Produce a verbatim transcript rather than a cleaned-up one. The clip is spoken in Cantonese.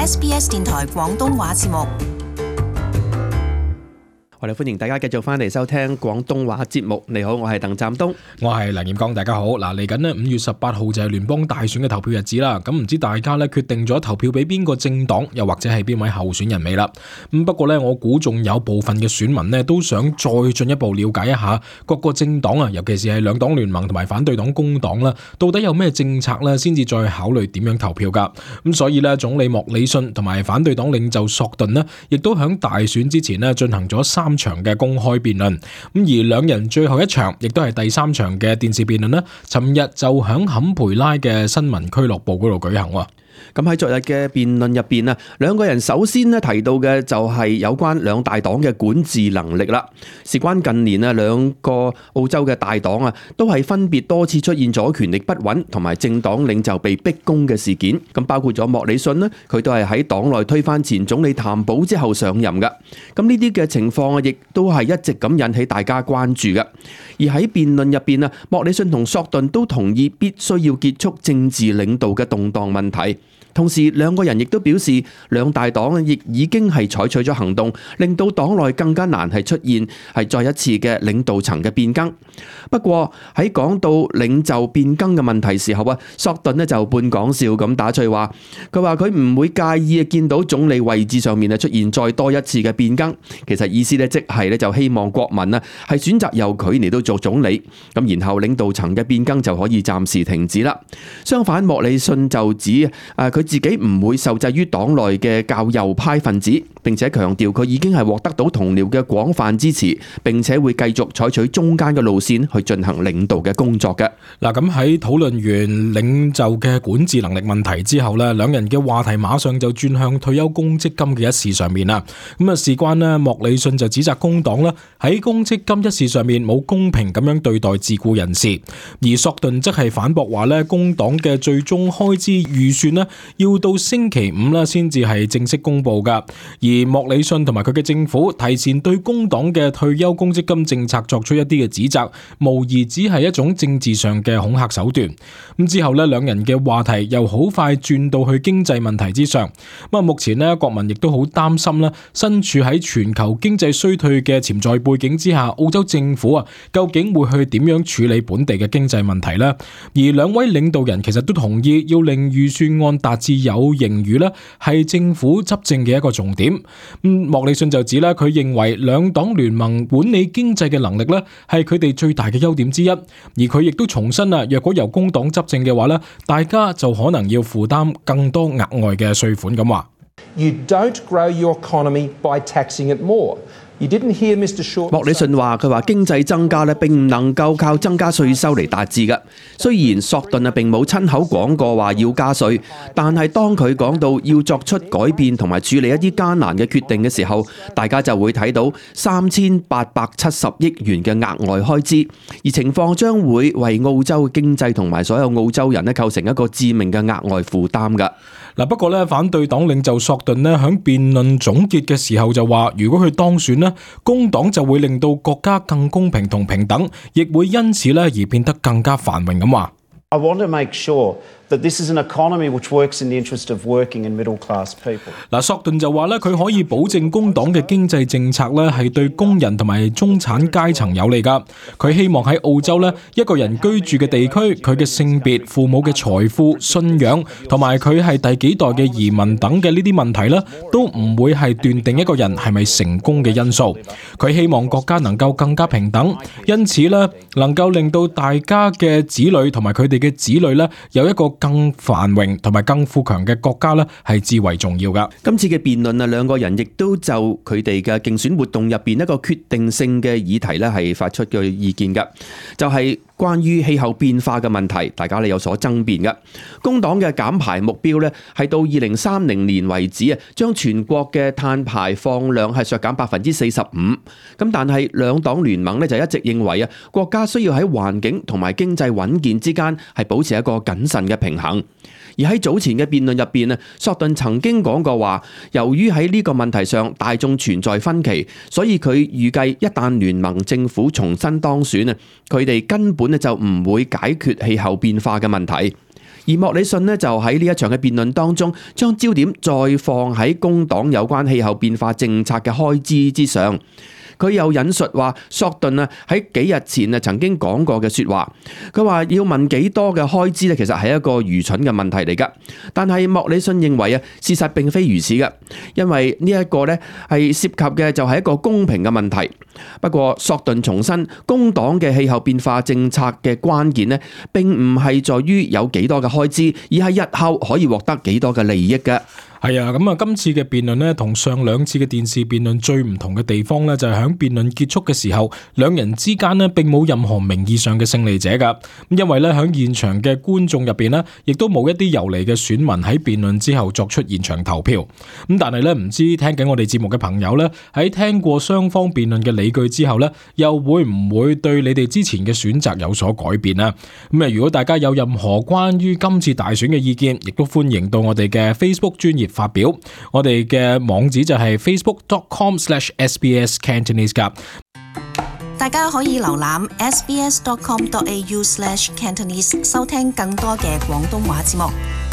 S B S 電台廣東話節目。我哋歡迎大家繼續翻嚟收聽廣東話節目。你好，我係鄧湛東，我係梁彥剛。大家好。嗱，嚟緊呢五月十八號就係聯邦大選嘅投票日子啦。咁唔知大家咧決定咗投票俾邊個政黨，又或者係邊位候選人未啦？咁不過咧，我估仲有部分嘅選民呢都想再進一步了解一下各個政黨啊，尤其是係兩黨聯盟同埋反對黨工黨啦，到底有咩政策咧，先至再考慮點樣投票噶。咁所以咧，總理莫里遜同埋反對黨領袖索頓呢，亦都響大選之前呢進行咗三場嘅公開辯論，咁而兩人最後一場亦都係第三場嘅電視辯論呢，尋日就響坎培拉嘅新聞俱樂部嗰度舉行。咁喺昨日嘅辯論入邊啊，兩個人首先咧提到嘅就係有關兩大黨嘅管治能力啦。事關近年啊，兩個澳洲嘅大黨啊，都係分別多次出現咗權力不穩同埋政黨領袖被逼宮嘅事件。咁包括咗莫里遜咧，佢都係喺黨內推翻前總理譚寶之後上任嘅。咁呢啲嘅情況啊，亦都係一直咁引起大家關注嘅。而喺辯論入邊啊，莫里遜同索頓都同意必須要結束政治領導嘅動盪問題。同時兩個人亦都表示，兩大黨亦已經係採取咗行動，令到黨內更加難係出現係再一次嘅領導層嘅變更。不過喺講到領袖變更嘅問題時候啊，索頓呢就半講笑咁打趣話，佢話佢唔會介意見到總理位置上面啊出現再多一次嘅變更。其實意思咧即係咧就希望國民啊係選擇由佢嚟到做總理，咁然後領導層嘅變更就可以暫時停止啦。相反，莫里遜就指誒佢自己唔會受制於黨內嘅較右派分子，並且強調佢已經係獲得到同僚嘅廣泛支持，並且會繼續採取中間嘅路線去進行領導嘅工作嘅。嗱，咁喺討論完領袖嘅管治能力問題之後呢，兩人嘅話題馬上就轉向退休公積金嘅一事上面啦。咁啊，事關呢，莫里遜就指責工黨啦喺公積金一事上面冇公平咁樣對待自僱人士，而索頓則係反駁話呢，工黨嘅最終開支預算呢要到星期五啦，先至係正式公布噶。而莫里遜同埋佢嘅政府提前對工黨嘅退休公積金政策作出一啲嘅指責，無疑只係一種政治上嘅恐嚇手段。咁之後呢，兩人嘅話題又好快轉到去經濟問題之上。咁啊，目前呢，國民亦都好擔心啦，身處喺全球經濟衰退嘅潛在背景之下，澳洲政府啊，究竟會去點樣處理本地嘅經濟問題呢？而兩位領導人其實都同意要令預算案達至有盈餘咧，係政府執政嘅一個重點。咁莫里遜就指咧，佢認為兩黨聯盟管理經濟嘅能力咧，係佢哋最大嘅優點之一。而佢亦都重申啊，若果由工黨執政嘅話咧，大家就可能要負擔更多額外嘅稅款咁話。You don't grow your economy by taxing it more.莫里遜話：佢話經濟增加咧並唔能夠靠增加稅收嚟達至嘅。雖然索頓啊並冇親口講過話要加稅，但係當佢講到要作出改變同埋處理一啲艱難嘅決定嘅時候，大家就會睇到三千八百七十億元嘅額外開支，而情況將會為澳洲嘅經濟同埋所有澳洲人咧構成一個致命嘅額外負擔㗎。嗱，不過咧，反對黨領袖索頓咧喺辯論總結嘅時候就話，如果佢當選咧，工黨就會令到國家更公平同平等，亦會因此咧而變得更加繁榮咁話。I want to make sure that this is an economy which works in the interest of working and middle class people. 嗱，索頓就話咧，佢可以保證工黨嘅經濟政策咧係對工人同埋中產階層有利噶。佢希望喺澳洲咧一個人居住嘅地區，佢嘅性別、父母嘅財富、信仰同埋佢係第幾代嘅移民等嘅呢啲問題咧，都唔會係斷定一個人係咪成功嘅因素。佢希望國家能夠更加平等，因此咧能夠令到大家嘅子女同埋佢哋嘅子女咧有一個更繁榮同埋更富強嘅國家咧，係至為重要噶。今次嘅辯論啊，兩個人亦都就佢哋嘅競選活動入邊一個決定性嘅議題咧，係發出嘅意見噶，就係關於氣候變化嘅問題，大家咧有所爭辯嘅。工黨嘅減排目標咧係到二零三零年為止啊，將全國嘅碳排放量係削減百分之四十五。咁但係兩黨聯盟咧就一直認為啊，國家需要喺環境同埋經濟穩健之間係保持一個謹慎嘅平衡。而喺早前嘅辯論入邊啊，索頓曾經講過話，由於喺呢個問題上大眾存在分歧，所以佢預計一旦聯盟政府重新當選啊，佢哋根本咧就唔會解決氣候變化嘅問題。而莫里遜呢，就喺呢一場嘅辯論當中，將焦點再放喺工黨有關氣候變化政策嘅開支之上。佢又引述話索頓啊喺幾日前啊曾經講過嘅說話，佢話要問幾多嘅開支咧，其實係一個愚蠢嘅問題嚟噶。但係莫里遜認為啊，事實並非如此嘅，因為呢一個咧係涉及嘅就係一個公平嘅問題。不過索頓重申，工黨嘅氣候變化政策嘅關鍵咧，並唔係在於有幾多嘅開支，而係日後可以獲得幾多嘅利益嘅。係啊，咁啊，今次嘅辯論呢，同上兩次嘅電視辯論最唔同嘅地方呢，就係喺辯論結束嘅時候，兩人之間呢並冇任何名義上嘅勝利者噶。因為呢，喺現場嘅觀眾入邊呢，亦都冇一啲遊離嘅選民喺辯論之後作出現場投票。咁但係呢，唔知聽緊我哋節目嘅朋友呢，喺聽過雙方辯論嘅理據之後呢，又會唔會對你哋之前嘅選擇有所改變啊？咁啊，如果大家有任何關於今次大選嘅意見，亦都歡迎到我哋嘅 Facebook 專頁發表，我哋嘅網址就係 facebook dot com slash s b s cantonese 噶。大家可以瀏覽 s b s dot com dot a u slash cantonese 收聽更多嘅廣東話節目。